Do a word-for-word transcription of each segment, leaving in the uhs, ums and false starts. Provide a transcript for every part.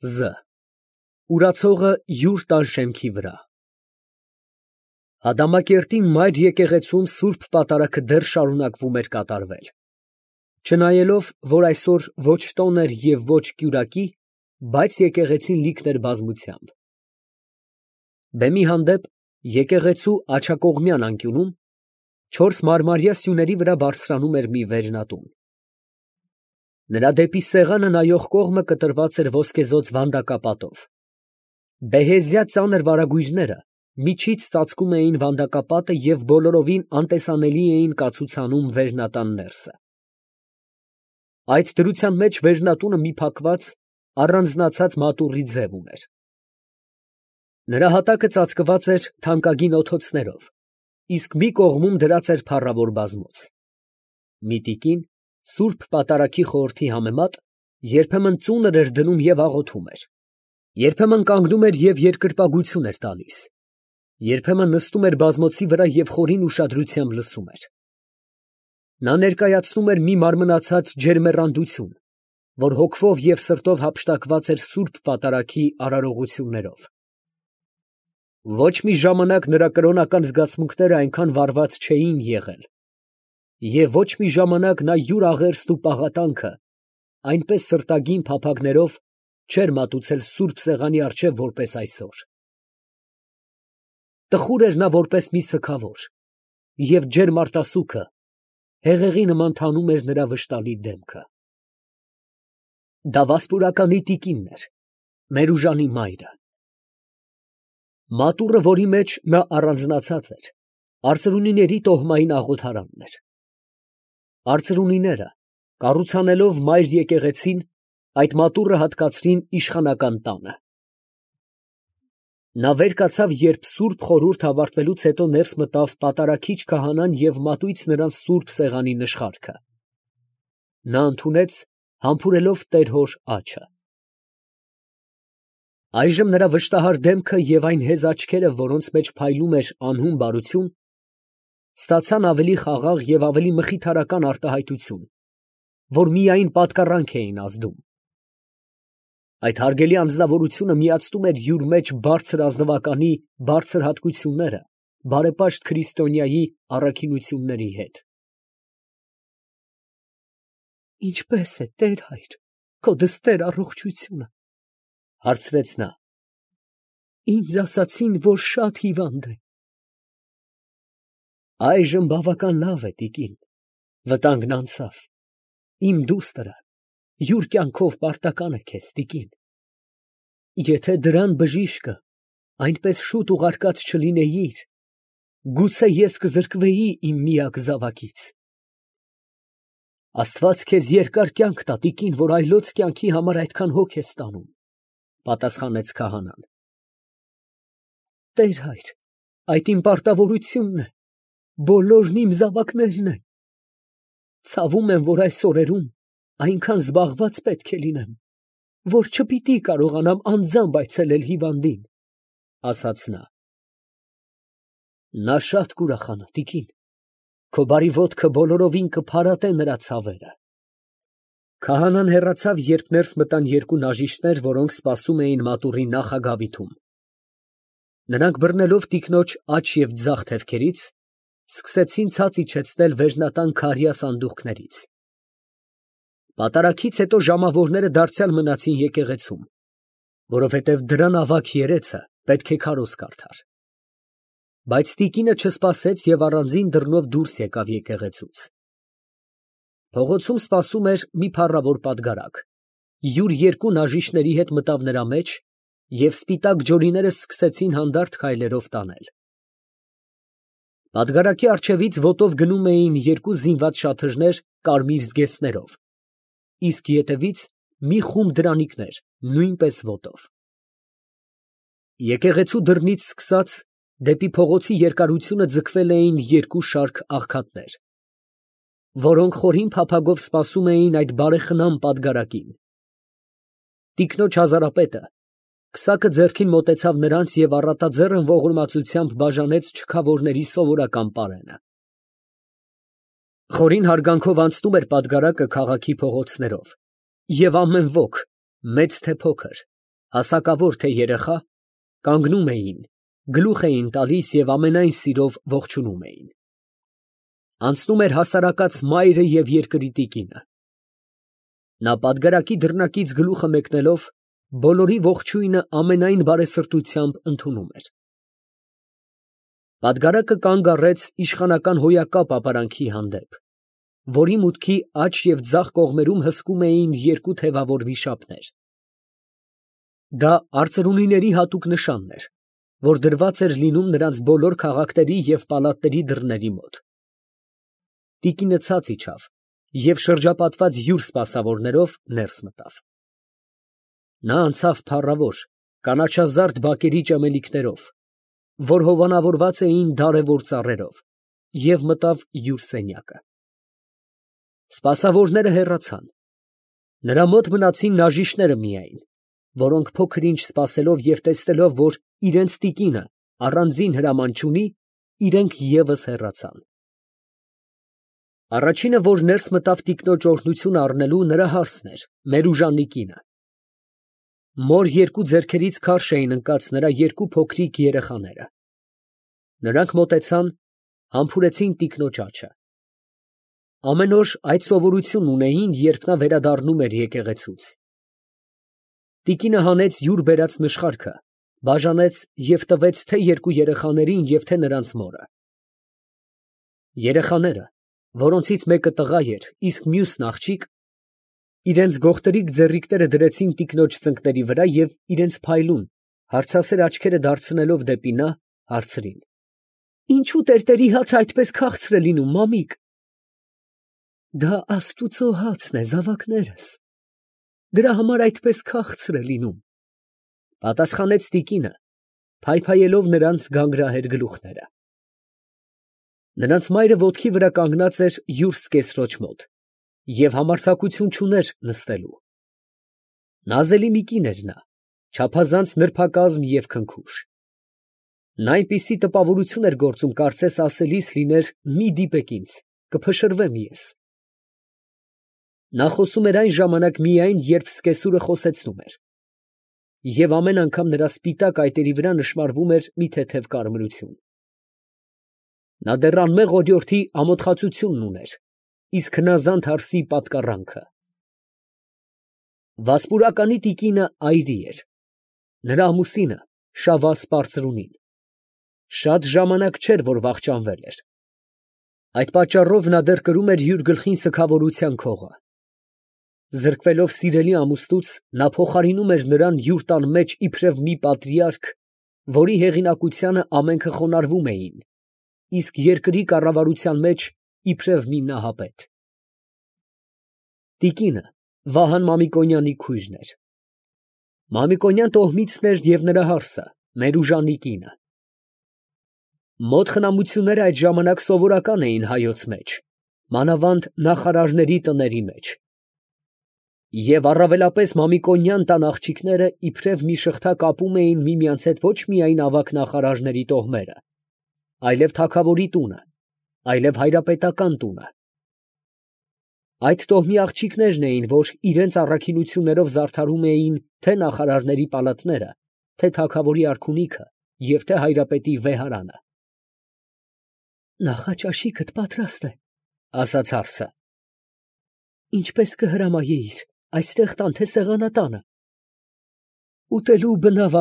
Զ Ուրացողը յուր տան շեմքի վրա։ Ադամակերտի մայր եկեղեցում սուրբ պատարագը դեռ շարունակվում էր կատարվել, չնայելով, որ այսօր ոչ տոն էր և ոչ կյուրակի, բայց եկեղեցին լիքն էր բազմությամբ։ Բեմի հանդեպ, եկեղեցու աջակողմյան անկյունում, չորս մարմարյա սյուների վրա բարձրանում էր մի վերնատուն։ Նրա դեպի սեղանը նայող կողմը կտրված էր ոսկեզօծ վանդակապատով։ Բեհեզյա ծանր վարագույրները միջից ծածկում էին վանդակապատը և բոլորովին անտեսանելի էին կացուցանում վերնատան ներսը։ Այդ դրության մեջ վերնատունը մի փակված, առանձնացած մատուռի ձև ուներ։ Նրա հատակը ծածկված էր թանկագին օթոցներով, իսկ մի կողմում դրած էր փառավոր բազմոց։ Մի տիկին, սուրբ պատարագի խորհրդի համեմատ, երբեմն ծունր էր դնում և աղոթում էր, երբեմն կանգնում էր և երկրպագություն էր տալիս, երբեմն նստում էր բազմոցի վրա և խորին ուշադրությամբ լսում էր։ Նա ներկայացնում էր մի մարմնացած ջերմեռանդություն, որ հոգվով և սրտով հափշտակված էր սուրբ պատարագի արարողություններով։ Ոչ մի ժամանակ նրա կրոնական զգացմունքները այնքան վառված չէին եղել, և ոչ մի ժամանակ նա յուր աղերսն ու պաղատանքը այնպես սրտագին փափագներով չէր մատուցել սուրբ սեղանի առջև, որպես այսօր։ Տխուր էր նա որպես մի սգավոր, և ջերմ արտասուքը հեղեղի նման թանում էր նրա վշտալի դեմքը։ Դա վասպուրականի տիկինն էր, Մերուժանի մայրը։ Մատուռը, որի մեջ նա առանձնացած էր, արծրունիների տոհմային աղոթարանն էր։ Արծրունիները, կառուցանելով մայր եկեղեցին, այդ մատուռը հատկացրին իշխանական տանը։ Նա վեր կացավ, երբ սուրբ խորհուրդ ավարտվելուց հետո ներս մտավ պատարագիչ քահանան և մատույց նրան սուրբ սեղանի նշխարքը։ Նա ընդունեց, համբուրելով տեր֊հոր աջը։ Այժմ նրա վշտահար դեմքը և այն հեզ աչքերը, որոնց մեջ փայլում էր անհուն բարություն, ստացան ավելի խաղաղ և ավելի մխիթարական արտահայտություն, որ միայն պատկառանք էին ազդում։ Այդ հարգելի անձնավորությունը միացնում էր յուր մեջ բարձր ազնվականի բարձր հատկությունները բարեպաշտ քրիստոնյայի առաքինությունների հետ։ «Ինչպե՞ս է, տեր֊հայր, քո դստեր առողջությունը, ֊ հարցրեց նա։ ֊ Ինձ ասացին, որ շատ հիվանդ է։ ֊ Այժմ բավական լավ է, տիկին, վտանգն անցավ, իմ դուստրը յուր կյանքով պարտական է քեզ, տիկին։ Եթե դրան բժիշկը այնպես շուտ ուղարկած չլինեիր, գուցե ես կզրկվեի իմ միակ զավակից։ Աստված քեզ երկար կյանք տա, տիկին, որ այլոց կյանքի համար այդքան հոգ ես տանում, ֊ պատասխանեց քահանան։ Տեր֊հայր, այդ իմ պարտավորությունն է, բոլորն իմ զավակներն են։ Ցավում եմ, որ այս օրերում այնքան զբաղված պետք է լինեմ, որ չպիտի կարողանամ անձամբ այցելել հիվանդին, ֊ ասաց նա։ Նա շատ կուրախանա, տիկին, քո բարի ոտքը բոլորովին կփարատե նրա ցավերը։ Քահանան հեռացավ, երբ ներս մտան երկու նաժիշտներ, որոնք սպասում էին մատուռի նախագավիթում։ Նրանք բռնելով տիկնոջ աջ և ձախ թևքերից, սկսեցին ցած իջեցնել վերնատան քարյա սանդուղքներից։ Պատարագից հետո ժամավորները դարձյալ մնացին եկեղեցում, որովհետև դրան ավագ երեցը պետք է քարոզ կարդար։ Բայց տիկինը չսպասեց և առանձին դռնով դուրս եկավ եկեղեցուց։ Փողոցում սպասում էր մի փառավոր պատգարակ, յուր երկու նաժիշտների հետ մտավ նրա մեջ, և սպիտակ ջորիները սկսեցին հանդարտ քայլերով տանել։ Պատգարակի առջևից ոտով գնում էին երկու զինված շաթրներ կարմիր զգեստներով, իսկ ետևից մի խումբ դրանիկներ նույնպես ոտով։ Եկեղեցու դռնից սկսած դեպի փողոցի երկարությունը ձգվել էին երկու շարք աղքատներ, որոնք խորին փափագով սպասում էին այդ բարեխնամ պատգարակին։ Տիկնոջ Հազարապետը քսակը ձեռքին մոտեցավ նրանց և առատաձեռն ողորմածությամբ բաժանեց չքավորների սովորական պարենը։ Խորին հարգանքով անցնում էր պատգարակը քաղաքի փողոցներով, և ամեն ոք, մեծ թե փոքր, հասակավոր թե երեխա, կանգնում էին, գլուխ էին տալիս և ամենայն սիրով ողջունում էին։ Անցնում էր հասարակած մայրը և երկրի տիկինը։ Նա պատգարակի դռնակից գլուխը մեկնելով, բոլորի ողջույնը ամենայն բարեսրտությամբ ընդունում էր։ Պատգարակը կանգ առեց իշխանական հոյակապ ապարանքի հանդեպ, որի մուտքի աջ և ձախ կողմերում հսկում էին երկու թևավոր վիշապներ։ Դա արծրունիների հատուկ նշանն էր, որ դրված էր լինում նրանց բոլոր քաղաքների և պալատների դռների մոտ։ Տիկինը ցած իջավ և շրջապատված յուր սպասավորներով ներս մտավ։ Նա անցավ փառավոր, կանաչազարդ բակերի ճմելիքներով, որ հովանավորված էին դարևոր ծառերով, և մտավ յուր սենյակը։ Սպասավորները հեռացան։ Նրա մոտ մնացին նաժիշտները միայն, որոնք փոքր ինչ սպասելով և տեսնելով, որ իրենց տիկինը առանձին հրաման չունի, իրենք ևս հեռացան։ Առաջինը, որ ներս մտավ տիկնոջ օրհնությունը առնելու, նրա հարսն էր, Մերուժանի կինը։ Մոր երկու ձեռքերից քարշ էին ընկած նրա երկու փոքրիկ երեխաները։ Նրանք մոտեցան, համբուրեցին տիկնոջ աջը։ Ամեն օր այդ սովորությունն ունեին, երբ նա վերադառնում էր եկեղեցուց։ Տիկինը հանեց յուր բերած նշխարքը, բաժանեց և տվեց թե երկու երեխաներին և թե նրանց մորը։ Երեխաները, որոնցից մեկը տղա էր, իսկ մյուսն աղջիկ, իրենց գողտրիկ ձեռիկները դրեցին տիկնոջ ծնկների վրա և իրենց փայլուն, հարցասեր աչքերը դարձնելով դեպի նա, հարցրին. «Ինչո՞ւ տերտերի հացը այդպես քաղցր է լինում, մամիկ»։ «Դա աստուծո հացն է, զավակներս, դրա համար այդպես քաղցր է լինում», ֊ պատասխանեց տիկինը, փայփայելով նրանց գանգրահեր գլուխները։ Նրանց մայրը ոտքի վրա կանգնած էր յուր սկեսրոջ մոտ և համարձակություն չուներ նստելու։ Նազելի մի կին էր նա, չափազանց նրբակազմ և քնքուշ։ Նա այնպիսի տպավորություն էր գործում, կարծես ասելիս լիներ. «Մի դիպեք ինձ, կփշրվեմ ես»։ Նա խոսում էր այն ժամանակ միայն, երբ սկեսուրը խոսեցնում էր, և ամեն անգամ նրա սպիտակ այտերի վրա նշմարվում էր մի թեթև կարմրություն։ Նա դեռ անմեղ օրիորդի ամոթխածությունն ուներ, իսկ հնազանդ հարսի պատկառանքը։ Վասպուրականի տիկինը այրի էր, նրա ամուսինը Շավազ պարծրունին։ Շատ ժամանակ չէր, որ վախճանվել էր։ Այդ պատճառով նա դեռ կրում էր յուր գլխին սգավորության քողը։ Զրկվելով սիրելի ամուսնուց, նա փոխարինում էր նրան յուր տան մեջ իբրև մի պատրիարք, որի հեղինակությանը ամենքը խոնարհվում էին, իսկ երկրի կառավարության մեջ իբրև մի նահապետ։ Տիկինը Վահան Մամիկոնյանի քույրն էր։ Մամիկոնյան տոհմիցն էր և նրա հարսը, Մերուժանի կինը։ Մոտ խնամությունները այդ ժամանակ սովորական էին հայոց մեջ, մանավանդ նախարարների տների մեջ։ Եվ առավելապես Մամիկոնյան տան աղջիկները իբրև մի շղթա կապում էին միմյանց հետ ոչ միայն ավագ նախարարների տոհմերը, այլև թագավորի տունը, այլև հայրապետական տունը։ Այդ տոհմի աղջիկներն էին, որ իրենց առաքինություններով զարդարում էին թե նախարարների պալատները, թե թագավորի արքունիքը և թե հայրապետի վեհարանը։ «Նախաճաշիքդ պատրաստ է, ֊ ասաց հարսը։ ֊ Ինչպես կհրամայեիր, այստեղ տան, թե սեղանատանը։ ֊ Ուտելու բնավ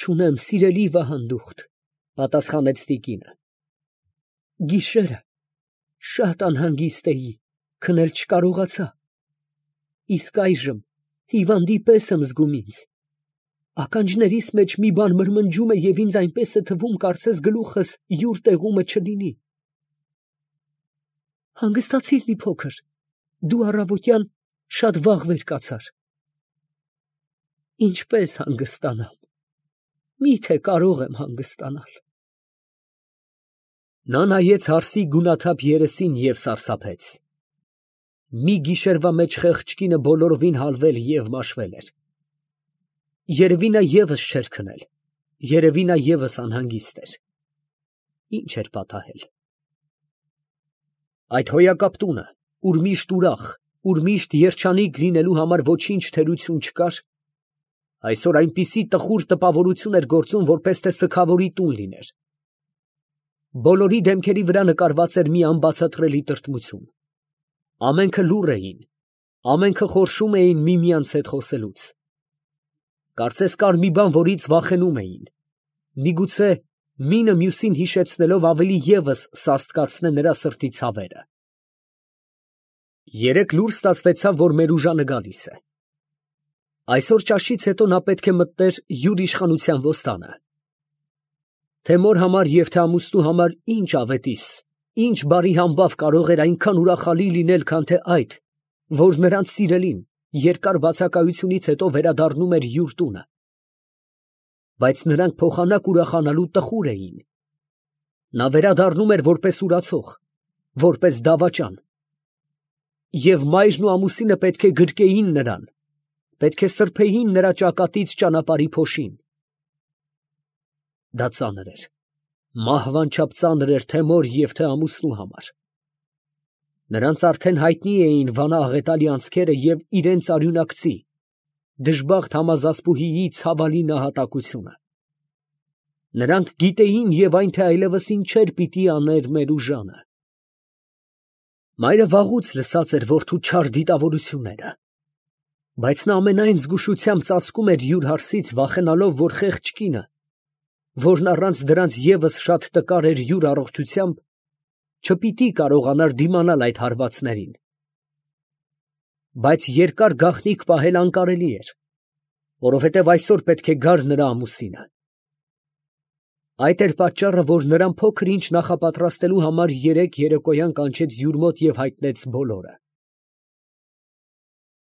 չունեմ, սիրելի վահանդուխտ, ֊ պատասխանեց տիկինը։ ֊ Գիշերը շատ անհանգիստ էի, քնել չկարողացա, իսկ այժմ հիվանդի պես եմ զգում ինձ. ականջներիս մեջ մի բան մրմնջում է և ինձ այնպես է թվում, կարծես գլուխս յուր տեղումը չլինի։ Հանգստացի՛ր մի փոքր, դու առավոտյան շատ վաղ վեր կացար։ Ինչպե՞ս հանգստանամ, մի՞թե կարող եմ հանգստանալ։ Նա նայեց հարսի գունաթափ երեսին և սարսափեց։ Մի գիշերվա մեջ խեղճ կինը բոլորովին հալվել և մաշվել էր։ Երևի նա ևս չէր քնել, երևի նա ևս անհանգիստ էր։ Ի՞նչ էր պատահել։ Այդ հոյակապ տունը, ուր միշտ ուրախ, ուր միշտ երջանիկ լինելու համար ոչինչ թերություն չկար, Այսօր այնպիսի տխուր տպավորություն էր գործում, որպես թե սգավորի տուն լիներ։ Բոլորի դեմքերի վրա նկարված էր մի անբացատրելի տրտմություն։ Ամենքը լուռ էին, ամենքը խորշում էին միմյանց հետ խոսելուց։ Կարծես կար մի բան, որից վախենում էին։ Միգուցե մինը մյուսին հիշեցնելով ավելի ևս սաստկացնե նրա սրտի ցավերը։ Երեկ լուր ստացվեցավ, որ Մերուժանը գալիս է։ Այսօր ճաշից հետո նա պետք է մտներ յուր իշխանության ոստանը։ Թե մոր համար և թե ամուսնու համար ինչ ավետիս, ինչ բարի համբավ կարող էր այնքան ուրախալի լինել, քան թե այդ, որ նրանց սիրելին երկար բացակայությունից հետո վերադառնում էր յուր տունը։ Բայց նրանք փոխանակ ուրախանալու տխուր էին։ Նա վերադառնում էր որպես ուրացող, որպես դավաճան։ Եվ մայրն ու ամուսինը պետք է գրկեին նրան, պետք է սրբեին նրա ճակատից ճանապարհի փոշին։ Դա ծանր էր, մահվան չափ ծանր էր թե մոր և թե ամուսնու համար։ Նրանց արդեն հայտնի էին վանա աղետալի անցքերը և իրենց արյունակցի, դժբախտ համազասպուհիի ցավալի նահատակությունը։ Նրանք գիտեին և այն, թե այլևս ինչեր պիտի աներ Մերուժանը։ Մայրը վաղուց լսած էր որդու չար դիտավորությունները, բայց նա ամենայն զգուշությամբ ծածկում էր յուր հարսից, վախենալով, որ խեղճ կինը, որն առանց դրանց ևս շատ տկար էր յուր առողջությամբ, չպիտի կարողանար դիմանալ այդ հարվածներին։ Բայց երկար գաղտնիք պահել անկարելի էր, որովհետև այսօր պետք է գար նրա ամուսինը։ Այդ էր պատճառը, որ նրան փոքր ինչ նախապատրաստելու համար երեկ երեկոյան կանչեց յուր մոտ և հայտնեց բոլորը։